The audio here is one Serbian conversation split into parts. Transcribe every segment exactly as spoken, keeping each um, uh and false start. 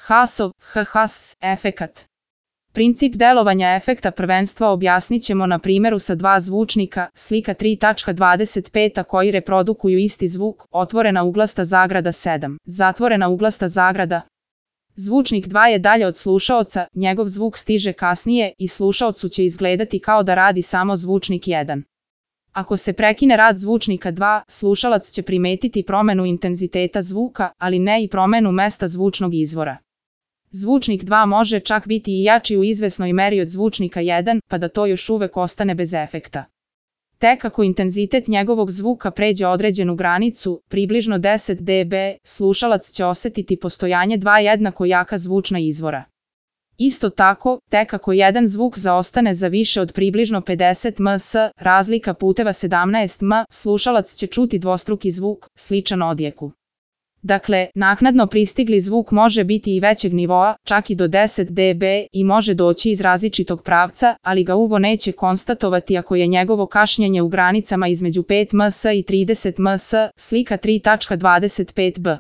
Haasov, H-Haas, efekat. Princip delovanja efekta prvenstva objasnit ćemo na primjeru sa dva zvučnika, slika tri tačka dvadeset pet, a koji reprodukuju isti zvuk, otvorena uglasta zagrada sedam, zatvorena uglasta zagrada. Zvučnik dva je dalje od slušaoca, njegov zvuk stiže kasnije i slušaocu će izgledati kao da radi samo zvučnik jedan. Ako se prekine rad zvučnika dva, slušalac će primetiti promjenu intenziteta zvuka, ali ne i promjenu mesta zvučnog izvora. Zvučnik dva može čak biti i jači u izvesnoj meri od zvučnika jedan, pa da to još uvek ostane bez efekta. Tek ako intenzitet njegovog zvuka pređe određenu granicu, približno deset decibela, slušalac će osjetiti postojanje dva jednako jaka zvučna izvora. Isto tako, tek ako jedan zvuk zaostane za više od približno pedeset decibela, razlika puteva sedamnaest decibela, slušalac će čuti dvostruki zvuk, sličan odjeku. Dakle, naknadno pristigli zvuk može biti i većeg nivoa, čak i do deset decibela, i može doći iz različitog pravca, ali ga uvo neće konstatovati ako je njegovo kašnjenje u granicama između pet decibela i trideset decibela, slika tri tačka dvadeset pet b.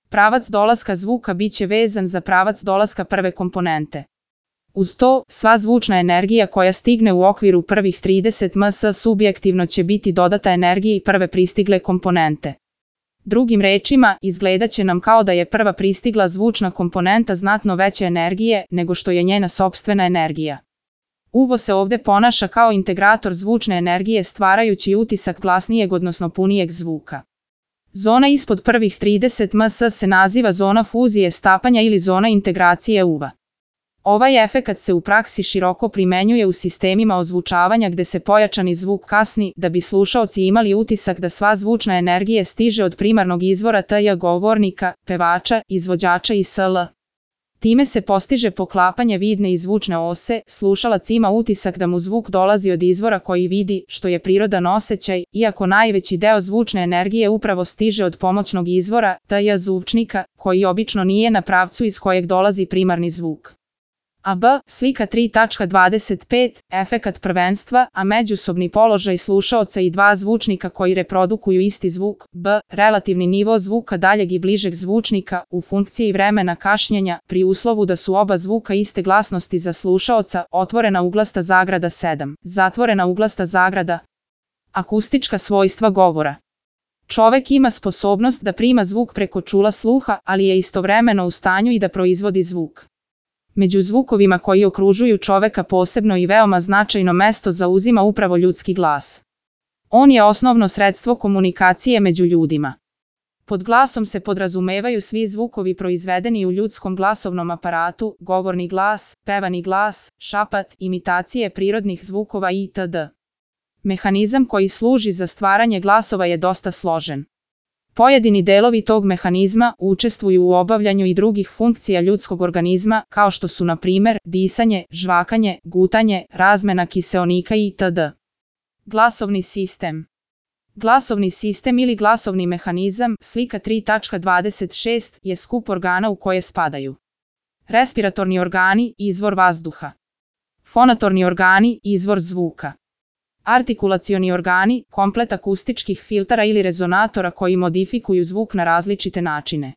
Pravac dolaska zvuka bit će vezan za pravac dolaska prve komponente. Uz to, sva zvučna energija koja stigne u okviru prvih trideset decibela subjektivno će biti dodata energiji prve pristigle komponente. Drugim rečima, izgledat će nam kao da je prva pristigla zvučna komponenta znatno veće energije nego što je njena sopstvena energija. Uvo se ovdje ponaša kao integrator zvučne energije stvarajući utisak glasnijeg odnosno punijeg zvuka. Zona ispod prvih trideset decibela se naziva zona fuzije stapanja ili zona integracije uva. Ovaj efekat se u praksi široko primenjuje u sistemima ozvučavanja gde se pojačani zvuk kasni da bi slušaoci imali utisak da sva zvučna energija stiže od primarnog izvora tj. govornika, pevača, izvođača i sl. Time se postiže poklapanje vidne i zvučne ose, slušalac ima utisak da mu zvuk dolazi od izvora koji vidi, što je prirodan osjećaj, iako najveći deo zvučne energije upravo stiže od pomoćnog izvora, tj. zvučnika, koji obično nije na pravcu iz kojeg dolazi primarni zvuk. A b. Slika tri tačka dvadeset pet, efekat prvenstva, a međusobni položaj slušaoca i dva zvučnika koji reprodukuju isti zvuk, b. Relativni nivo zvuka daljeg i bližeg zvučnika, u funkciji vremena kašnjenja, pri uslovu da su oba zvuka iste glasnosti za slušaoca, otvorena uglasta zagrada sedam, zatvorena uglasta zagrada. Akustička svojstva govora. Čovek ima sposobnost da prima zvuk preko čula sluha, ali je istovremeno u stanju i da proizvodi zvuk. Među zvukovima koji okružuju čoveka posebno i veoma značajno mesto zauzima upravo ljudski glas. On je osnovno sredstvo komunikacije među ljudima. Pod glasom se podrazumevaju svi zvukovi proizvedeni u ljudskom glasovnom aparatu, govorni glas, pevani glas, šapat, imitacije prirodnih zvukova itd. Mehanizam koji služi za stvaranje glasova je dosta složen. Pojedini delovi tog mehanizma učestvuju u obavljanju i drugih funkcija ljudskog organizma, kao što su na primjer disanje, žvakanje, gutanje, razmena kiseonika itd. Glasovni sistem. Glasovni sistem ili glasovni mehanizam, slika tri tačka dvadeset šest, je skup organa u koje spadaju respiratorni organi, izvor vazduha, fonatorni organi, izvor zvuka, artikulacioni organi, komplet akustičkih filtera ili rezonatora koji modifikuju zvuk na različite načine.